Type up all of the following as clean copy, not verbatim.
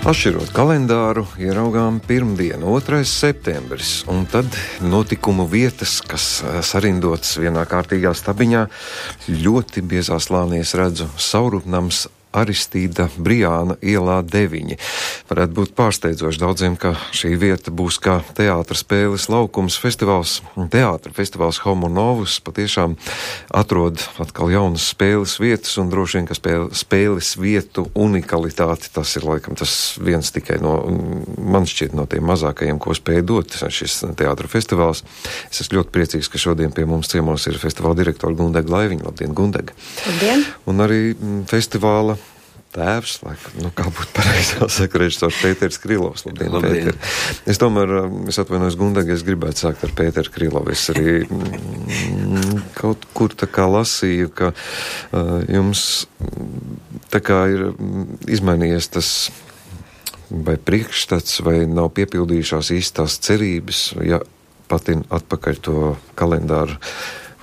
Atšķirot kalendāru, ieraugām pirmdienu, 2. septembris, un tad notikumu vietas, kas sarindotas vienā kārtīgā stabiņā, ļoti biezā slānies redzu Saurupnams Aristīda Brijāna ielā 9. Varētu būt pārsteidzoši daudziem, ka šī vieta būs kā teātra spēles laukums festivāls, teātra festivāls Homo Novus patiešām atrod atkal jaunas spēles vietas un droši vien, ka spēles vietu unikalitāti, tas ir laikam tas viens tikai no, man šķiet, no tiem mazākajiem, ko spēja dot šis teātra festivāls. Es esmu ļoti priecīgs, ka šodien pie mums ciemos ir festivāla direktora Gundega Laiviņa. Labdien, Gundega! Labdien! Un arī festivāla tēvs, laikam, kā būtu pareizi jāsaka, režisors Pēters Krilovs. Labdien, Pēter. Es tomēr, es atvainojos Gundega, es gribētu sākt ar Pēteru Krilovu. Es arī kaut kur tā kā lasīju, ka jums tā kā ir izmainījies tas vai priekšstats, vai nav piepildījušās īstās cerības, ja patin atpakaļ to kalendāru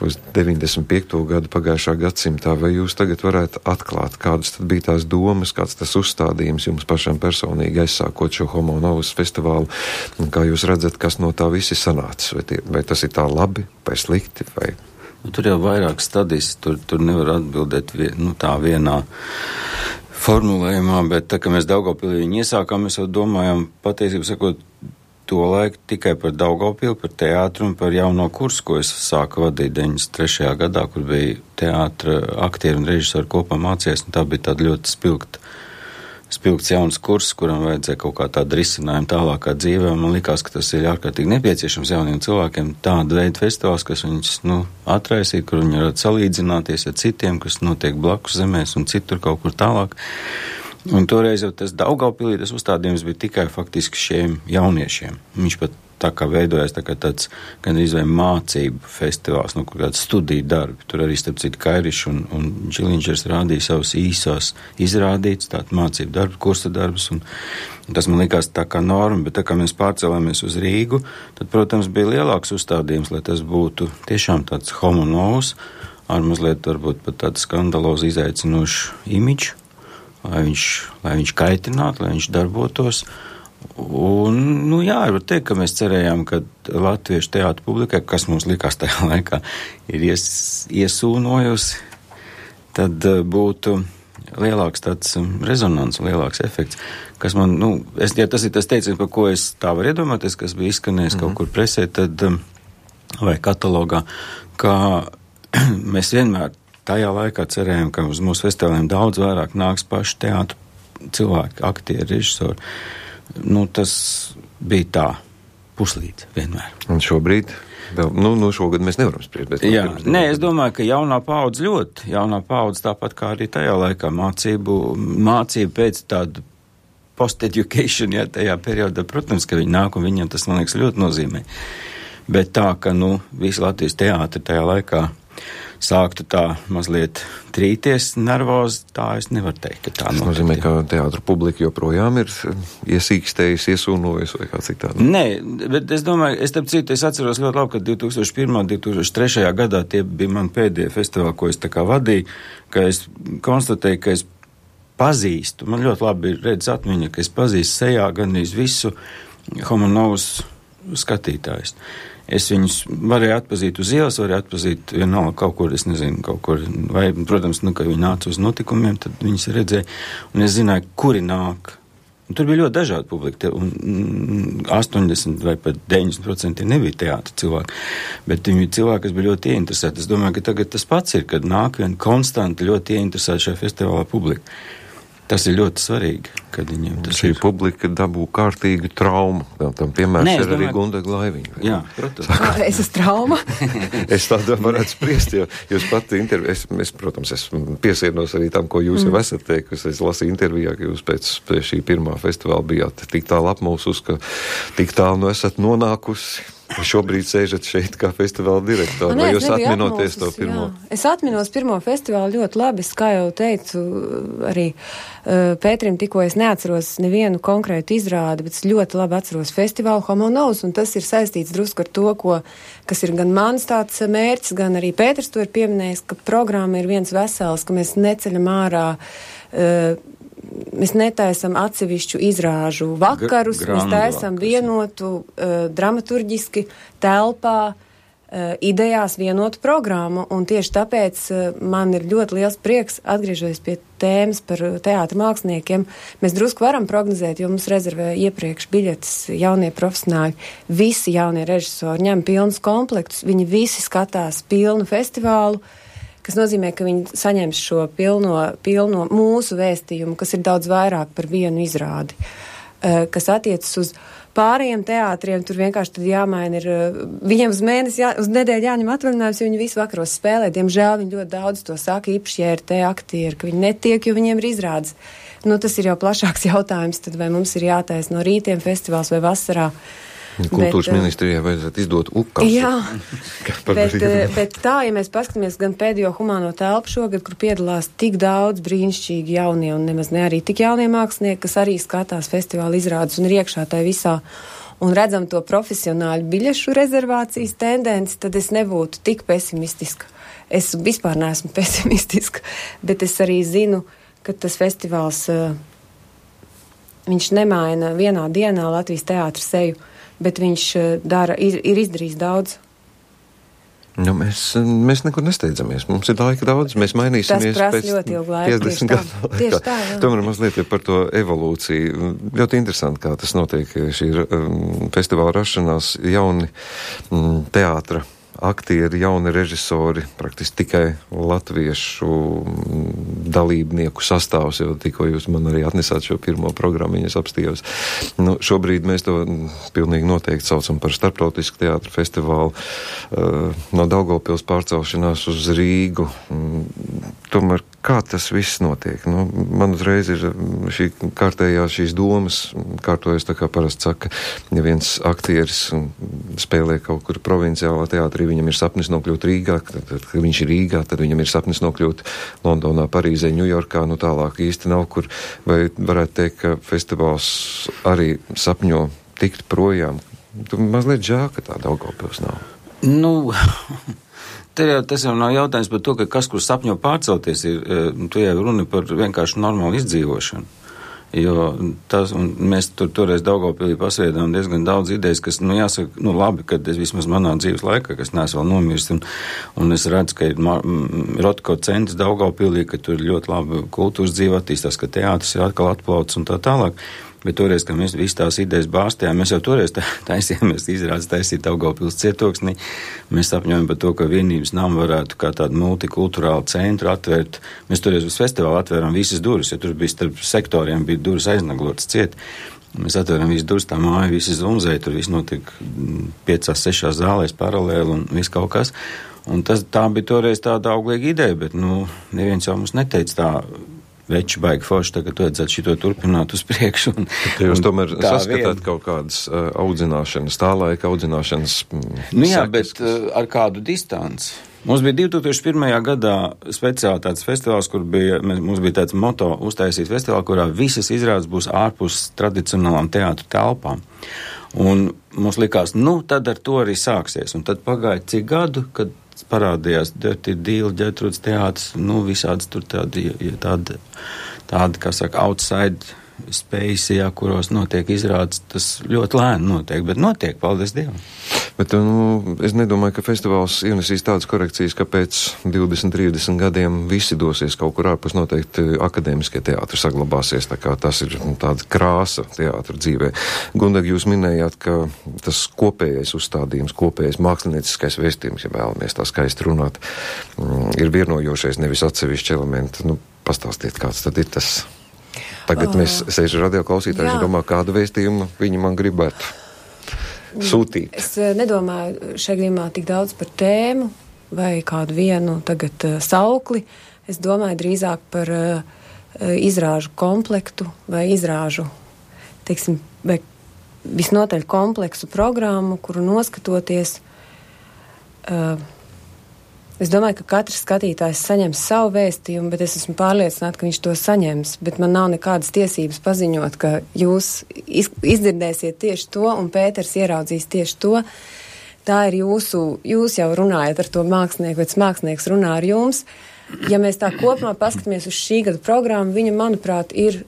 uz 95. gadu pagājušā gadsimtā, vai jūs tagad varētu atklāt, kādas tad bija tās domas, kāds tas uzstādījums jums pašam personīgi aizsākot šo Homo Novus festivālu, un kā jūs redzat, kas no tā visi sanācis, vai tas ir tā labi, vai slikti, vai... Tur jau vairāk stadijas, tur nevar atbildēt tā vienā formulējumā, bet tā, ka mēs Daugavpilī viņu iesākām, mēs jau domājam, patiesībā sakot, to laiku tikai par Daugavpili, par teātru un par jauno kursu, ko es sāku vadīt 93. gadā, kur bija teātra aktieri un režisori kopā mācījās, un tā bija tāda ļoti spilgts jauns kurs, kuram vajadzēja kaut kā tādu risinājumu tālākā dzīvē, un man likās, ka tas ir ārkārtīgi nepieciešams jauniem cilvēkiem, tāda veida festivāls, kas viņus, atraisīt, kur viņi varētu salīdzināties ar citiem, kas notiek blakus zemēs un citur kaut kur tālāk. Un toreiz jau tas Daugavpilī, tas uzstādījums bija tikai faktiski šiem jauniešiem. Viņš pat tā kā veidojās tā kā tāds gandrīz vai mācību festivāls, kaut kāds studiju darbi. Tur arī starp citu Kairišs un Džiliņšers rādīja savus īsās izrādītas, tātad mācību darbu, kursa darbus, un tas man likās tā kā norma, bet tā kā mēs pārcēlāmies uz Rīgu, tad, protams, bija lielāks uzstādījums, lai tas būtu tiešām tāds Homo Novus, ar mazliet varbūt pat tādu skandalozu izaicinošu imidžu, lai viņš kaitinātu, lai viņš darbotos. Un, var teikt, ka mēs cerējām, ka latviešu teātra publikai, kas mums likās tajā laikā, ir iesūnojusi, tad būtu lielāks tāds rezonans, lielāks efekts, kas man, ja tas ir tas teiciens, par ko es tā varu iedomāties, kas bija izskanējis kaut kur presē, tad, vai katalogā, ka mēs vienmēr tajā laikā cerējām, ka uz mūsu festivāliem daudz vairāk nāks paši teātra cilvēki, aktieri, režisori. Tas bija tā, puslīdz vienmēr. Un šobrīd, šogad mēs nevaram spriest. Es domāju, ka jaunā paudze tāpat kā arī tajā laikā mācību pēc tādu post-education, tajā periodā, protams, ka viņi nāk un viņiem tas, man liekas, ļoti nozīmē. Bet tā, ka, visi Latvijas teātri tajā laikā sāktu tā mazliet trīties nervozi, tā es nevaru teikt, ka tā notiek. Tas nozīmē, ka teātra publika joprojām ir iesīkstējusi, iesūnojusi vai kā citādi? Nē, bet es domāju, es atceros ļoti labi, ka 2001. 2003. gadā tie bija mani pēdējie festivāli, ko es tā kā vadīju, ka es konstatēju, ka es pazīstu, man ļoti labi ir redz atmiņa, ka es pazīstu sejā gandrīz visu Homo Novus skatītājus. Es viņus varēju atpazīt uz ielas, varēju atpazīt vienalga kaut kur, es nezinu, vai, protams, ka viņi nāca uz notikumiem, tad viņus redzēja, un es zināju, kuri nāk. Un tur bija ļoti dažādi publika, un 80 vai pat 90% nebija teātra cilvēki, bet viņi bija cilvēki, kas bija ļoti ieinteresēti. Es domāju, ka tagad tas pats ir, kad nāk vien konstanti ļoti ieinteresēti šajā festivālā publika. Tas ir ļoti svarīgi, kad viņiem tas šī publika dabū kārtīgu traumu. Tam piemērs ir arī Gundega Laiviņa. Jā, protams. Es esmu trauma. Es tādā varētu spriest, jo jūs pati interviju, protams, esmu piesienos arī tam, ko jūs jau esat teikusi. Es lasīju intervijā, ka jūs pēc šī pirmā festivāla bijāt tik tālu apmulsus, ka tik tālu esat nonākusi. Šobrīd sēžat šeit kā festivāla direktori, vai jūs atminoties to pirmo? Jā. Es atminos pirmo festivālu ļoti labi, kā jau teicu, arī Pēterim tikko es neatceros nevienu konkrētu izrādi, bet es ļoti labi atceros festivālu Homo Novus, un tas ir saistīts drusku ar to, kas ir gan mans tāds mērķis, gan arī Pēters to ir pieminējis, ka programma ir viens vesels, ka mēs neceļam ārā mēs netaisam atsevišķu izrāžu vakarus, mēs taisam vienotu dramaturģiski telpā, idejās vienotu programmu, un tieši tāpēc man ir ļoti liels prieks, atgriežoties pie tēmas par teātra māksliniekiem. Mēs drusku varam prognozēt, jo mums rezervē iepriekš biļetes jaunie profesionāļi. Visi jaunie režisori ņem pilnus komplektus, viņi visi skatās pilnu festivālu, kas nozīmē, ka viņi saņems šo pilno mūsu vēstījumu, kas ir daudz vairāk par vienu izrādi, kas attiecas uz pārējiem teātriem. Tur vienkārši tad jāmaina ir, viņiem uz mēnesi, uz nedēļu jāņem atvaļinājums, jo viņi visu vakaros spēlē. Diemžēl viņi ļoti daudz to saka, īpaši, ja ir te aktieri, ka viņi netiek, jo viņiem ir izrādes. Nu, tas ir jau plašāks jautājums, tad vai mums ir jātaisa no rītiem festivāls vai vasarā. Kultūras ministrijai vajadzētu izdot ukasu. Jā, bet tā, ja mēs paskatāmies gan pēdējo humāno telpu šogad, kur piedalās tik daudz brīnišķīgi jaunie un nemaz ne arī tik jaunie mākslinieki, kas arī skatās festivāla izrādes un ir iekšā tai visā, un redzam to profesionāļu biļešu rezervācijas tendenci, tad es nebūtu tik pesimistiska. Es vispār neesmu pesimistiska, bet es arī zinu, ka tas festivāls, viņš nemaina vienā dienā Latvijas teātra seju, bet viņš ir izdarījis daudz. Nu, mēs nekur nesteidzamies. Mums ir laika daudz, mēs mainīsimies pēc 50 gadu laikā. Tomēr mazliet par to evolūciju. Ļoti interesanti, kā tas notiek. Šī festivāla rašanās, jauni teātra aktieri, jauni režisori, praktiski tikai latviešu dalībnieku sastāvs, jo tikko jūs man arī atnesāt šo pirmo programmu, es apstījos. Nu, šobrīd mēs to pilnīgi noteikti saucam par starptautisku teātra festivālu, no Daugavpils pārcelšanās uz Rīgu. Tomēr kā tas viss notiek? Nu, man uzreiz ir šī kārtējā šīs domas, kārtojas tā kā parasti saka, ja viens aktieris spēlē kaut kur provinciālā teātrī, viņam ir sapnis nokļūt Rīgā, kad viņš ir Rīgā, tad viņam ir sapnis nokļūt Londonā, Parīzē, Ņujorkā, nu tālāk īsti nav kur, vai varētu teikt, ka festivāls arī sapņo tikt projām. Tu mazliet žēl, ka tā Daugavpils nav. Nu, tas jau nav jautājums par to, ka kas, kur sapņo pārcelties, tu jau runi par vienkārši normālu izdzīvošanu. Jo tas, un mēs toreiz Daugavpilī pasviedām diezgan daudz idejas, kas, nu, jāsaka, nu, labi, kad es vismaz manā dzīves laikā, kas neesmu vēl nomirst, un es redzu, ka ir Rotko centrs Daugavpilī, ka tur ļoti labi kultūras dzīve attīstās, ka teātris ir atkal atplauts un tā tālāk. Bet toreiz, kad mēs visas tās idejas bāstījām, mēs jau toreiz taisījāmies izrādes taisīt Daugavpils cietoksnī. Mēs sapņojam par to, ka vienības nama varētu kā tādu multikulturālu centru atvērt. Mēs toreiz uz festivālu atvērām visas durvis, jo tur bija starp sektoriem bija durvis aiznaglotas ciet. Mēs atvēram visas durvis, tā māja, visi zumzēja, tur viss notika 5-6 zālēs paralēli un viss kaut kas. Un tā bija toreiz tāda auglīga ideja, bet, nu, neviens jau mums neteica tā, veči baigi forši, tagad vajadzētu šito turpināt uz priekšu. Jūs tomēr saskatāt kaut kādas audzināšanas, tā laika audzināšanas nu jā, sekas, bet ar kādu distanci. Mums bija 2001. gadā speciāli tāds festivāls, kur mums bija tāds moto uztaisīt festivālu, kurā visas izrādes būs ārpus tradicionālām teātru telpām. Un mums likās, nu, tad ar to arī sāksies. Un tad pagāja cik gadu, kad parādījās Dirty Deal, Ģertrūdas teātris, nu, visādas tur tādi, kā saka, outside space, jā, kuros notiek izrādes, tas ļoti lēni notiek, bet notiek, paldies Dievam. Bet, nu, es nedomāju, ka festivāls ienesīs tādas korekcijas, ka pēc 20-30 gadiem visi dosies kaut kur ārpus, noteikti akadēmiskie teātri saglabāsies, tā kā tas ir tāda krāsa teātra dzīvē. Gundag, jūs minējāt, ka tas kopējais uzstādījums, kopējais mākslinieciskais vēstījums, ja vēlamies tā skaisti runāt, ir vienojošais, nevis atsevišķi elementi. Nu, pastāstiet, kāds tad ir tas. Tagad mēs sēžu radio klausītājs un domā, kādu vēstījumu viņi man gribētu sūtīt. Es nedomāju šajā gadījumā tik daudz par tēmu vai kādu vienu tagad saukli. Es domāju drīzāk par izrāžu komplektu vai izrāžu, teiksim, vai visnotaļ kompleksu programmu, kuru noskatoties. Es domāju, ka katrs skatītājs saņems savu vēstījumu, bet es esmu pārliecināta, ka viņš to saņems. Bet man nav nekādas tiesības paziņot, ka jūs izdzirdēsiet tieši to, un Pēters ieraudzīs tieši to. Tā ir jūs jau runājat ar to mākslinieku, vai tas mākslinieks runā ar jums. Ja mēs tā kopumā paskatāmies uz šī gada programmu, viņa, manuprāt, ir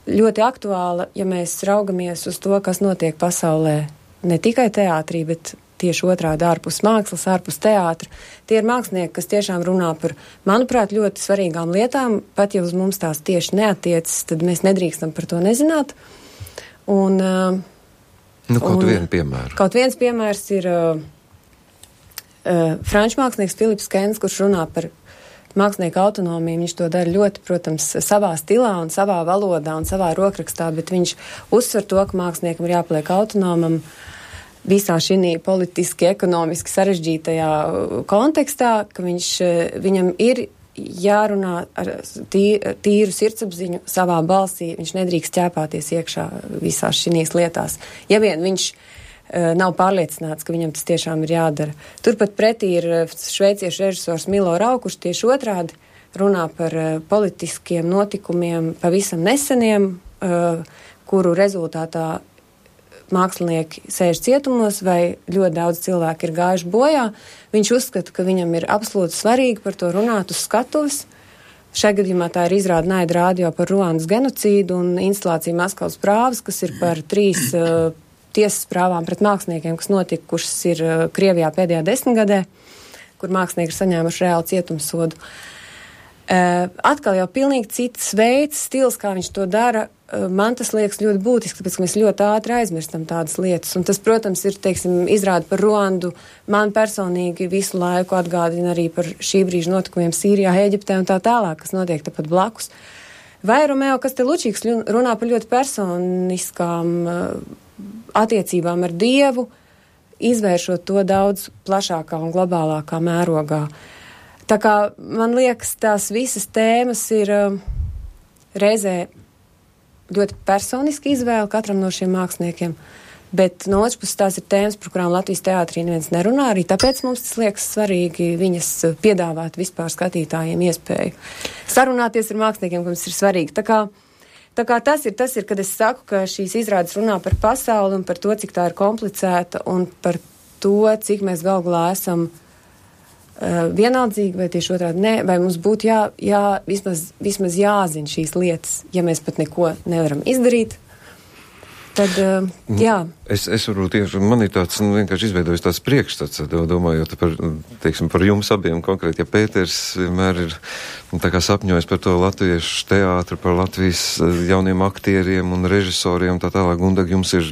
ļoti aktuāla, ja mēs raugamies uz to, kas notiek pasaulē, ne tikai teātrī, bet tieši otrādi ārpus mākslas, ārpus teātra. Tie ir mākslinieki, kas tiešām runā par, manuprāt, ļoti svarīgām lietām, pat ja uz mums tās tieši neatiecas, tad mēs nedrīkstam par to nezināt. Un, vienu piemēru. Kaut viens piemērs ir franču mākslinieks Filips Kens, kurš runā par mākslinieku autonomiju. Viņš to dara ļoti, protams, savā stilā un savā valodā un savā rokrakstā, bet viņš uzsver to, ka māksliniekam ir jāpaliek autonomam visā šī politiski, ekonomiski sarežģītajā kontekstā, ka viņam ir jārunā ar tīru sirdsapziņu savā balsī, viņš nedrīkst ķēpāties iekšā visās šīs lietās. Ja vien viņš nav pārliecināts, ka viņam tas tiešām ir jādara. Turpat pretī ir šveiciešu režisors Milo Rau, kurš tieši otrādi runā par politiskiem notikumiem pavisam neseniem, kuru rezultātā mākslinieki sēž cietumos vai ļoti daudz cilvēku ir gājuši bojā. Viņš uzskata, ka viņam ir absolūti svarīgi par to runāt uz skatuves. Šajā gadījumā tā ir izrāda Naida rādio par Ruandas genocīdu un instalācija Maskavas prāvas, kas ir par 3 tiesas prāvām pret māksliniekiem, kas notikušas ir Krievijā pēdējā 10 gadē, kur mākslinieki ir saņēmuši reāli cietumsodu. Atkal jau pilnīgi cits veids, stils, kā viņš to dara. Man tas liekas ļoti būtiski, tāpēc, ka mēs ļoti ātri aizmirstam tādas lietas. Un tas, protams, ir, izrāda par Ruandu. Man personīgi visu laiku atgādina arī par šī brīža notikumiem Sīrijā, Ēģiptē un tā tālāk, kas notiek tepat blakus. Vai Romeo Kastelučīks runā par ļoti personiskām attiecībām ar Dievu, izvēršot to daudz plašākā un globālākā mērogā. Tā kā man liekas, tās visas tēmas ir reizē ļoti personiski izvēle katram no šiem māksliniekiem, bet no otras puses tās ir tēmas, par kurām Latvijas teātrī neviens nerunā, arī tāpēc mums tas liekas svarīgi viņas piedāvāt vispār skatītājiem iespēju sarunāties ar māksliniekiem, kam tas ir svarīgi. Tā kā tas ir, kad es saku, ka šīs izrādes runā par pasauli un par to, cik tā ir komplicēta un par to, cik mēs galu galā esam vienaldzīgi vai tieši otrādi ne, vai mums būtu vismaz jāzina šīs lietas, ja mēs pat neko nevaram izdarīt, tad jā. Es varu tieši, man ir tāds, vienkārši izveidojis tāds priekšstats, domājot par jums abiem konkrēti, ja Pēters vienmēr ir tā kā sapņojis par to latviešu teātru, par Latvijas jauniem aktieriem un režisoriem, tā tālāk, Gundag, jums ir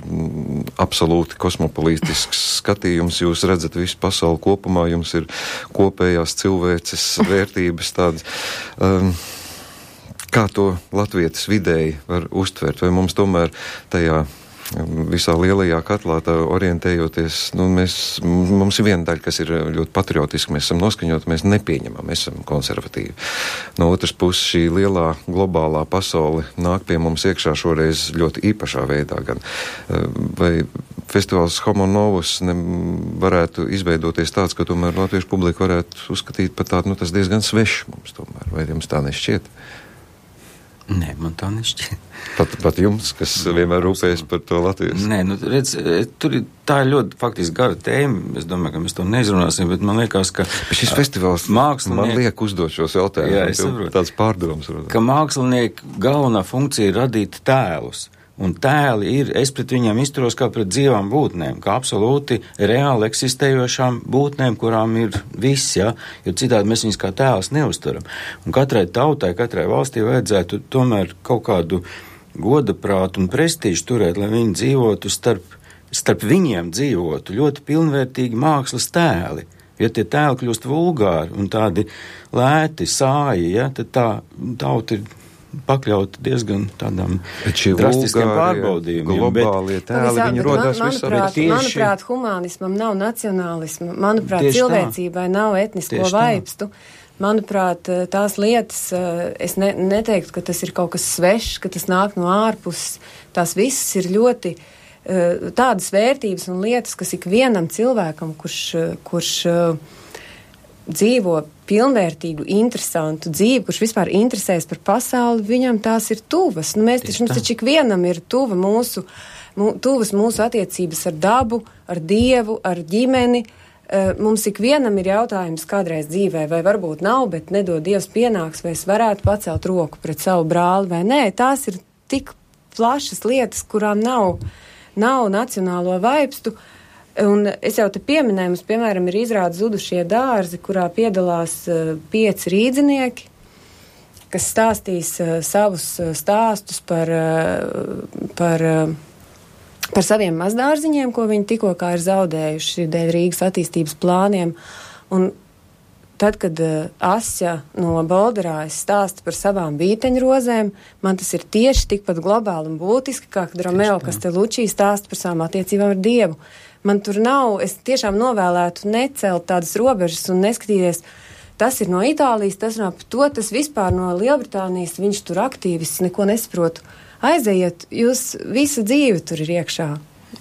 absolūti kosmopolītisks skatījums, jūs redzat visu pasauli kopumā, jums ir kopējās cilvēces vērtības tādas. Kā to latvietis vidēji var uztvert? Vai mums tomēr tajā visā lielajā katlā tā orientējoties, mums ir viena daļa, kas ir ļoti patriotiski, mēs esam noskaņoti, mēs nepieņemam, mēs esam konservatīvi. No otras puses šī lielā globālā pasaule nāk pie mums iekšā šoreiz ļoti īpašā veidā gan. Vai festivāls Homo Novus varētu izveidoties tāds, ka tomēr latviešu publika varētu uzskatīt par tādu, tas diezgan svešs mums tomēr, vai jums tā nešķiet? Nē, man tā nešķiet. Pat jums, kas vienmēr rūpējas par to Latvijas? Nē, redz, tā ir ļoti faktiski gara tēma. Es domāju, ka mēs to neizrunāsim, bet man liekas, ka šis festivāls man liek uzdot šos jautājumus. Jā, es saprotu. Tāds pārdoms. Ka mākslinieku galvenā funkcija ir radīt tēlus. Un tēli ir, es pret viņiem izturos kā pret dzīvām būtnēm, kā absolūti reāli eksistējošām būtnēm, kurām ir viss, ja? Jo citādi mēs viņus kā tēlus neuzturam. Un katrai tautai, katrai valstī vajadzētu tomēr kaut kādu godaprātu un prestīžu turēt, lai viņi dzīvotu starp viņiem dzīvotu ļoti pilnvērtīgi mākslas tēli. Ja tie tēli kļūst vulgāri un tādi lēti, sāji, ja, tad tā tauta ir pakļauti diezgan tādām drastiskiem pārbaudījumiem. Globālie tēli, viņi rodās visā. Manuprāt, humanismam nav nacionālisma. Manuprāt, cilvēcībai nav etnisko vaipstu. Manuprāt, tās lietas, es neteiktu, ka tas ir kaut kas svešs, ka tas nāk no ārpuses. Tās visas ir ļoti tādas vērtības un lietas, kas ikvienam cilvēkam, kurš dzīvo pilnvērtīgu, interesantu dzīvi, kurš vispār interesēs par pasauli, viņam tās ir tuvas. Mums taču ikvienam ir tuvas mūsu attiecības ar dabu, ar Dievu, ar ģimeni, Mums ikvienam ir jautājums kādreiz dzīvē, vai varbūt nav, bet nedod Dievs pienāks, vai es varētu pacelt roku pret savu brāli, vai nē. Tās ir tik plašas lietas, kurām nav nacionālo vaipstu. Un es jau te pieminēju, mums, piemēram, ir izrāda Zudušie dārzi, kurā piedalās 5 rīdzinieki, kas stāstīs savus stāstus par saviem mazdārziņiem, ko viņi tikko kā ir zaudējuši dēļ Rīgas attīstības plāniem. Un tad, kad Asja no Bolderājas stāsta par savām vīteņrozēm, man tas ir tieši tikpat globāli un būtiski, kā kad Romeo Castellucci stāsta par savām attiecībām ar Dievu. Man tur nav, es tiešām novēlētu necelt tādas robežas un neskatīties, tas ir no Itālijas, tas nav par to, tas vispār no Lielbritānijas, viņš tur aktīvists, neko nesaprotu. Aizejiet, jūs visa dzīve tur ir iekšā.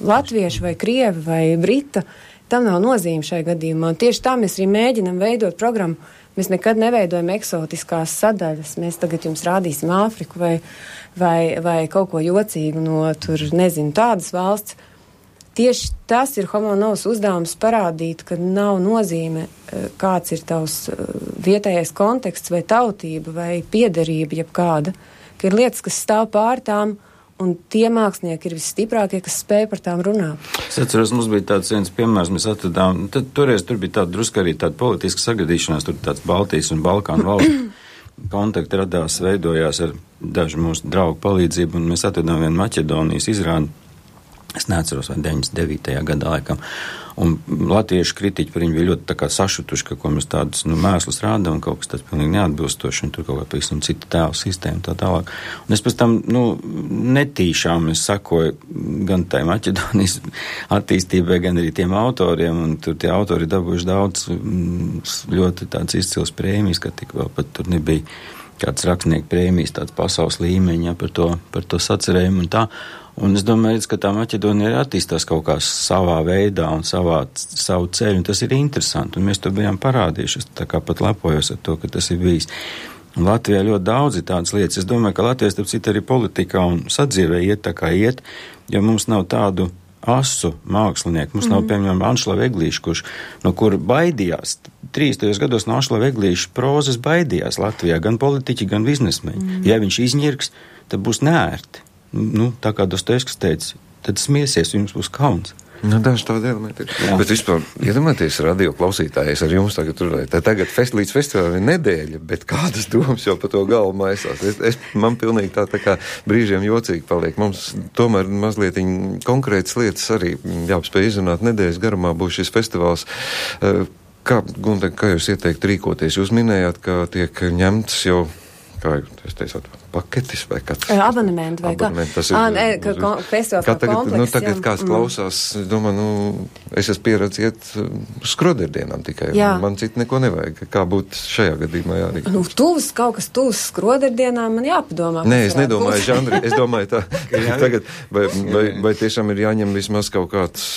Latvieši vai krievi vai brita, tam nav nozīme šai gadījumā. Un tieši tā mēs arī mēģinam veidot programmu. Mēs nekad neveidojam eksotiskās sadaļas. Mēs tagad jums rādīsim Āfriku vai kaut ko jocīgu no tur, nezinu, tādas valsts. Tieši tas ir Homo Novus uzdevums parādīt, ka nav nozīme, kāds ir tavs vietējais konteksts vai tautība vai piederība jebkāda, ka ir lietas, kas stāv pār tām, un tie mākslinieki ir visstiprākie, kas spēj par tām runāt. Es atceros, mums bija tāds viens piemērs, mēs atradām, toreiz tur bija tāda drusku arī tāda politiska sagadīšanās, tur tāds Baltijas un Balkānu valstu kontakti radās, veidojās ar dažu mūsu draugu palīdzību, un mēs atradām vienu Maķedonijas izrādi, es neatceros, vai 99. gadā laikam, un latviešu kritiķi par viņu bija ļoti tā kā sašutuši, ka ko mēs tādus mēslus rādām, un kaut kas tāds pilnīgi neatbilstoši, un tur kaut kā pavisam cita tēla sistēma tā tālāk. Un es pēc tam, netīšām es sakoju gan tai Maķedonijas attīstībai, gan arī tiem autoriem, un tur tie autori dabūjuši daudz ļoti tāds izcils prēmijas, ka tik vēl pat tur nebija kāds rakstnieku prēmijas, tāds pasaules līmeņa par to sacerējumu un tā. Un es domāju, ka tā Maķedonija attīstās kaut kā savā veidā un savu ceļu, un tas ir interesanti, un mēs to bijām parādījuši. Es tā kā pat lepojos ar to, ka tas ir bijis. Un Latvijā ļoti daudz ir tādas lietas. Es domāju, ka Latvijas, starp citu, arī politikā un sadzīvē iet tā kā iet, jo mums nav tādu asu mākslinieku. Mums nav, piemēram, Anšlava Eglīša, no kura baidījās. 30. gados no Anšlava Eglīša prozas baidījās Latvijā, gan politiķi, gan biznesmeņi. Ja viņš izņirks, tad būs neērti. Tā kā Dostojevskis teica, tad smiesies, jums būs kauns. Daži tādi elementi ir. Jā. Bet vispār, iedomājieties, radio klausītājs ar jums tagad runājot. Tagad līdz festivālam ir nedēļa, bet kādas domas jau par to galvu maisās. Man pilnīgi tā kā brīžiem jocīgi paliek. Mums tomēr mazliet konkrētas lietas arī jāspēj izrunāt. Nedēļas garumā būs šis festivāls. Kā jūs ieteikt rīkoties? Jūs minējāt, ka tiek ņemts jau, kā jūs teicāt, paketis vai kāds? Abonementi vai kā? Tas ir, festivāls kā komplekss. Tagad kāds klausās, domāju, es esmu pieredzēt skroderdienām tikai. Man citu neko nevajag. Kā būtu šajā gadījumā jārīkojas? Kaut kas tuvs skroderdienām man jāpadomā. Nē, es nedomāju, žanri. Es domāju tā, tagad, vai tiešām ir jāņem vismaz kaut kāds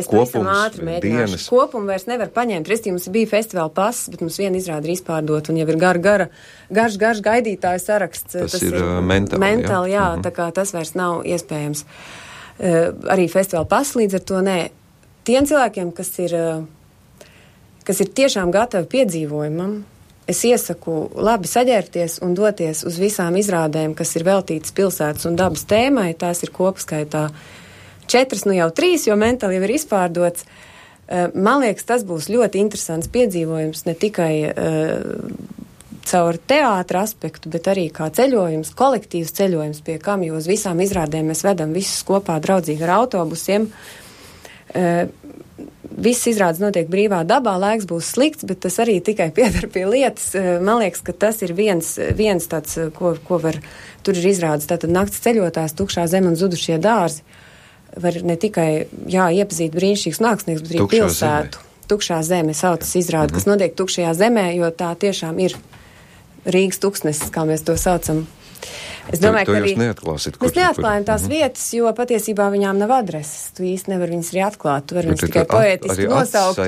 kopums, dienas. Kopumu vairs nevar paņemt. Resti, mums bija festivāla pass, bet mums viena izrāda ir izpārdot, un jau ir garš gaidītāju saraksts. Tas ir mentāli, jā, tā kā tas vairs nav iespējams. Arī festivāla pass līdz ar to nē. Tiem cilvēkiem, kas ir tiešām gatavi piedzīvojumam, es iesaku labi saģērbties un doties uz visām izrādēm, kas ir veltītas pilsētas un dabas tēmai. Tās ir kopskaitā 4, jau 3, jo mentāli jau ir izpārdots. Man liekas, tas būs ļoti interesants piedzīvojums, ne tikai caur teātra aspektu, bet arī kā ceļojums, kolektīvs ceļojums, pie kam, jo uz visām izrādēm mēs vedam visus kopā draudzīgi ar autobusiem. Viss izrādes notiek brīvā dabā, laiks būs slikts, bet tas arī tikai piedar pie lietas. Man liekas, ka tas ir viens tāds, ko var, tur ir izrādes, tātad nakts ceļotājs, Tukšā zeme un Zudušie dārzi. Var ne tikai, iepazīt brīnišķīgs mākslinieks, bet arī pilsētu. Tukšā zeme saucas izrāde, kas notiek tukšajā zemē, jo tā tiešām ir Rīgas tuksnesis, kā mēs to saucam. Es domāju, ka arī mēs neatklājam tās vietas, jo patiesībā viņām nav adreses. Tu īsti nevar viņas arī atklāt. Tu vari viņas tikai poētiski nosaukt.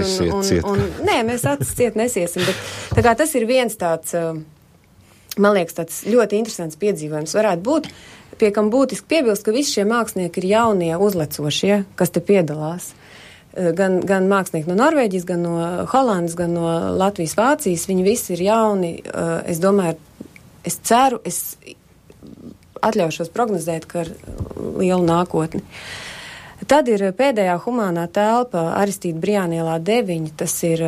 Nē, mēs acis ciet nesiesim. Bet, tā kā tas ir viens tāds, man liekas, tāds ļoti interesants piedzīvojums varētu būt, pie kam būtiski piebilst, ka visi šie mākslinieki ir jaunie uzlecošie, kas te piedalās. gan mākslinieki no Norvēģijas, gan no Holandas, gan no Latvijas, Vācijas. Viņi visi ir jauni. Es domāju, es ceru, es atļaušos prognozēt, ka ar lielu nākotni. Tad ir pēdējā humānā telpa Aristīda Brijānielā 9. Tas ir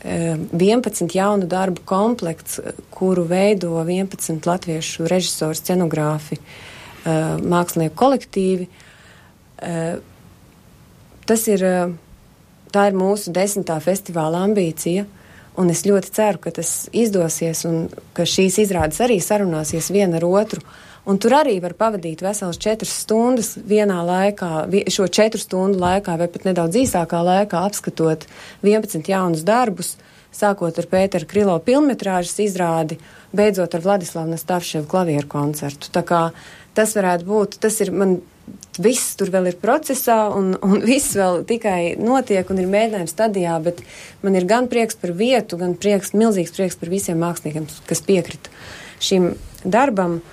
11 jaunu darbu komplekts, kuru veido 11 latviešu režisoru, scenogrāfi, mākslinieku kolektīvi. Tā ir mūsu 10. festivāla ambīcija, un es ļoti ceru, ka tas izdosies un ka šīs izrādes arī sarunāsies viena ar otru. Un tur arī var pavadīt veselas 4 stundas vienā laikā, šo 4 stundu laikā vai pat nedaudz īsākā laikā apskatot 11 jaunus darbus, sākot ar Pētera Krilo pilnmetrāžas izrādi, beidzot ar Vladislavu Nastavševu klavieru koncertu. Tā kā tas varētu būt, tas ir man, viss tur vēl ir procesā un viss vēl tikai notiek un ir mēģinājums stadijā, bet man ir gan prieks par vietu, gan milzīgs prieks par visiem māksliniekiem, kas piekrita šim darbam.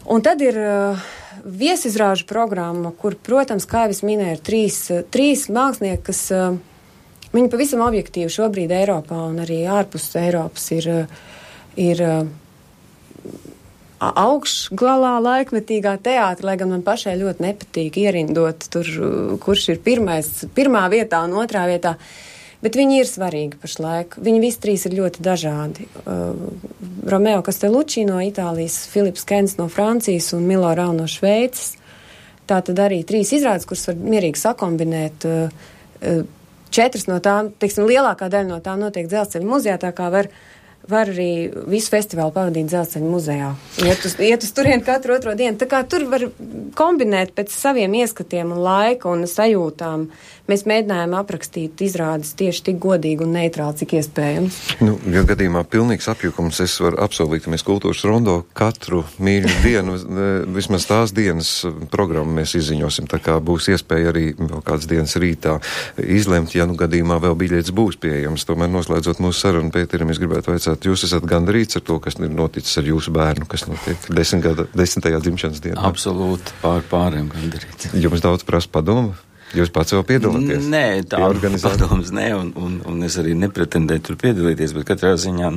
Un tad ir viesizrāžu programma, kur, protams, kā jau es minēju, ir trīs mākslinieki, kas viņi pavisam objektīvi šobrīd Eiropā un arī ārpus Eiropas ir augšgalā laikmetīgā teātra, lai gan man pašai ļoti nepatīk ierindot tur, kurš ir pirmā vietā un otrā vietā. Bet viņi ir svarīgi pašlaik. Viņi visi 3 ir ļoti dažādi. Romeo Castellucci no Itālijas, Filips Kens no Francijas un Milo Rau no Šveices. Tā tad arī 3 izrādes, kuras var mierīgi sakombinēt. 4 no tām, teiksim, lielākā daļa no tām notiek Dzelzceļa muzejā, tā kā var arī visu festivālu pavadīt Dzelzceļa muzejā. Iet uz turien katru otro dienu. Tā kā tur var kombinēt pēc saviem ieskatiem un laika un sajūtām. Mēs mēģinājām aprakstīt izrādes tieši tik godīgi un neitrāli, cik iespējams. Ja gadījumā pilnīgs apjukums, es varu apsolīt, ka mēs kultūras rondo katru mīļu dienu, vismaz tās dienas programmu mēs izziņosim, tā kā būs iespēja arī vēl kādas dienas rītā izlemt, ja gadījumā vēl biļetes būs pieejams. Tomēr noslēdzot mūsu sarunu, Pēterim, es gribētu vaicāt, jūs esat gandarīts ar to, kas ir noticis ar jūsu bērnu, kas notiek 10. dzimšanas dienā? Absolūti, pāriem gandarīts. Jums daudz prasa padomu? Jūs pats vēl piedalāties? Nē, tā padoms nē, un es arī nepretendēju tur piedalīties, bet katrā ziņā,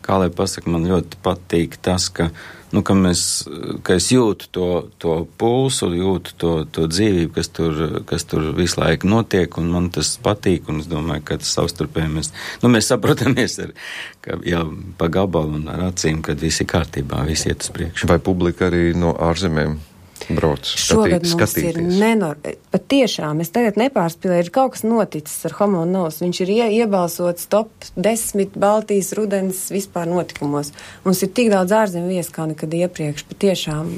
kā lai pasaka, man ļoti patīk tas, ka es jūtu to pulsu, jūtu to dzīvību, kas tur visu laiku notiek, un man tas patīk, un es domāju, ka tas savstarpēji mēs saprotamies jau pa gabalu un ar acīm, kad viss ir kārtībā, viss iet uz priekšu. Vai publika arī no ārzemēm brauc, skatīties? Pat tiešām, es tagad nepārspīlēju, ir kaut kas noticis ar Homo Novus. Viņš ir iebalsots top 10 Baltijas rudens vispār notikumos. Mums ir tik daudz ārzemju viesu kā nekad iepriekš. Pat tiešām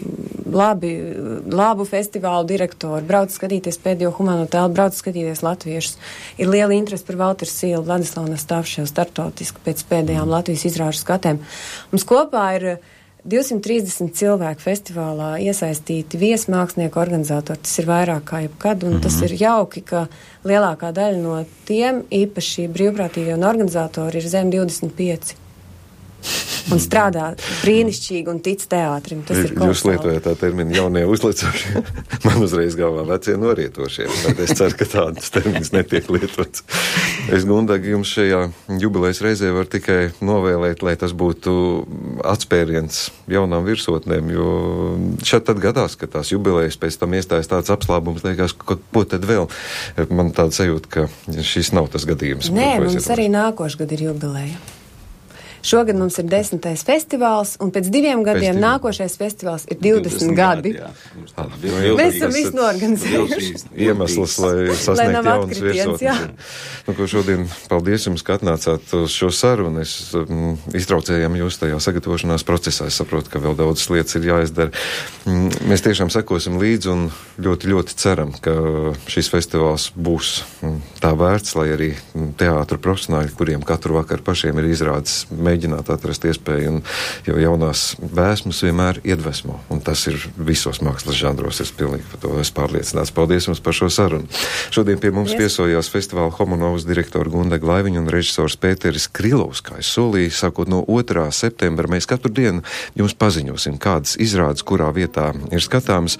labu festivālu direktori, brauc skatīties pēdējo humāno telpu, brauc skatīties latviešus. Ir liela interese par Valteru Sīlu, Vladislavu Nastavševu startautiski pēc pēdējām Latvijas izrāžu skatēm. Mums kopā ir 230 cilvēku festivālā iesaistīti viesmākslinieku organizatori. Tas ir vairāk kā jebkad, un tas ir jauki, ka lielākā daļa no tiem, īpaši brīvprātīgie un organizatori, ir zem 25. Un strādā brīnišķīgi un tic teātrim. Tas ir kolosāli. Jūs lietojat tā terminu jaunie uzlicošie. Man uzreiz galvā vecie norietošie. Bet es ceru, ka tādas terminas netiek lietots. Es, Gundagi, jums šajā jubilejas reizē var tikai novēlēt, lai tas būtu atspēriens jaunām virsotnēm, jo šeit tad gadās, ka tās jubilejas pēc tam iestājas tāds apslābums, liekas, ko tad vēl? Man tāda sajūta, ka šis nav tas gadījums. Nē, mums arī nākošais gadu ir jubileja. Šogad mums ir 10. festivāls, un pēc 2 gadiem nākošais festivāls ir 20 gadi. Mēs esam visu norganizējuši. Iemesls, lai sasniegtu jaunas virsotnes. Ko šodien paldies jums, ka atnācāt uz šo sarunu. Es iztraucējām jūs tajā sagatavošanās procesā. Es saprotu, ka vēl daudzas lietas ir jāizdara. Mēs tiešām sekosim līdzi un ļoti, ļoti ceram, ka šis festivāls būs tā vērts, lai arī teātra profesionāļi, kuriem katru vakaru pašiem ir izrādes, mēģināt atrast iespēju, jo jaunās vēsmas vienmēr iedvesmo, un tas ir visos mākslas žanros, es pilnīgi par to esmu pārliecināts. Paldies jums par šo sarunu. Šodien pie mums viesojās festivāla Homo Novus direktora Gundaga Laiviņa un režisors Pēteris Krilovs, kā es solīju, sākot no 2. septembra, mēs katru dienu jums paziņosim, kādas izrādes, kurā vietā ir skatāmas.